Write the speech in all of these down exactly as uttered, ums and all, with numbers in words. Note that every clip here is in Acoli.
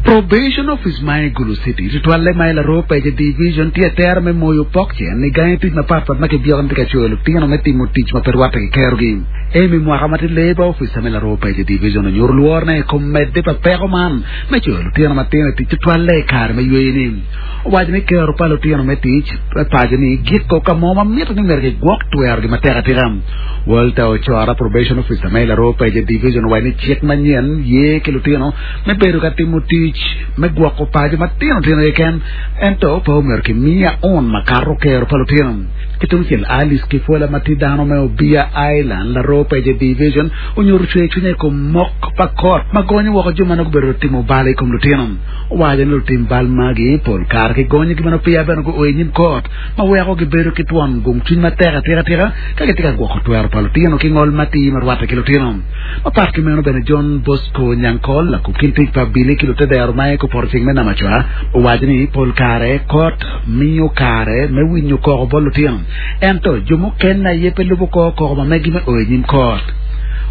Probation Office ma i Gulu City tutwalle ma i Laroo Pece Division tye atera me moyo pok cen i gangi tic mapatpat ma kibyeko ni tye ka coyo lutino me timo tic ma pe rwatte ki kerogi. Amy mwaka ma tye Labour Officer me Laroo Pece Division onyuto lworone i kom medde pa peko man me coyo lutino matino i tic tutwalle i kare me yweyo-ni. Owaco ni kero pa lutino me tic me paco-ni giko ka mo ma mito ni myero gigwok twerogi matek atika. Walter Ochora, Probation Officer ma i Laroo Pece Division owaco ni cik manyen ye ki lutino me bedo ka timo tic me gwoko paco matino tino keken ento pe omyero kimiya un makato kero pa lutino. Ki tungcel Alice Kifwela ma tye dano me Obia Island, Laroo Pece Division onyuto cwer cwinye i kom mok pa kot ma gonyo woko jo ma nongo gubedo timo bal i kom lutino. Owaco ni lutim bal magi pol kare kigonyogi ma nongo peya bene guo i nyim kot ma weko gibedo ki twon gung cwiny matek atika atika ka gitye ka gwoko twero pa lutino ki ngol matir ma rwatte ki lutino. Mapat ki meno bene John Bosco Nyankol lakub kin tic pa Billy ki lutedero ma i poto ceng me Namacwa owaco ni pol kare kot miyo kare me winyo koko bot lutino ento jo mukene aye pe lubo kor koko ma megi me o i nyim kot.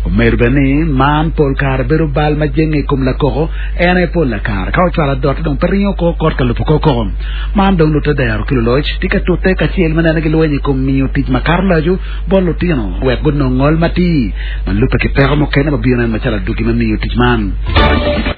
Omedo bene ni man pol kare bedo bal ma jenge i kom lakoko en aye pol lakare ka ocwalo adotte dong pe ringo kor kot ka lubo kor koko. Man dong lutedero ki luloc tye ka tutte kacel me neno gilweny i kom miyo tic makato laco bot lutino wek gunong ngol matir ma lubbe ki peko mukene ma bino macalo adwogi me miyo tic man.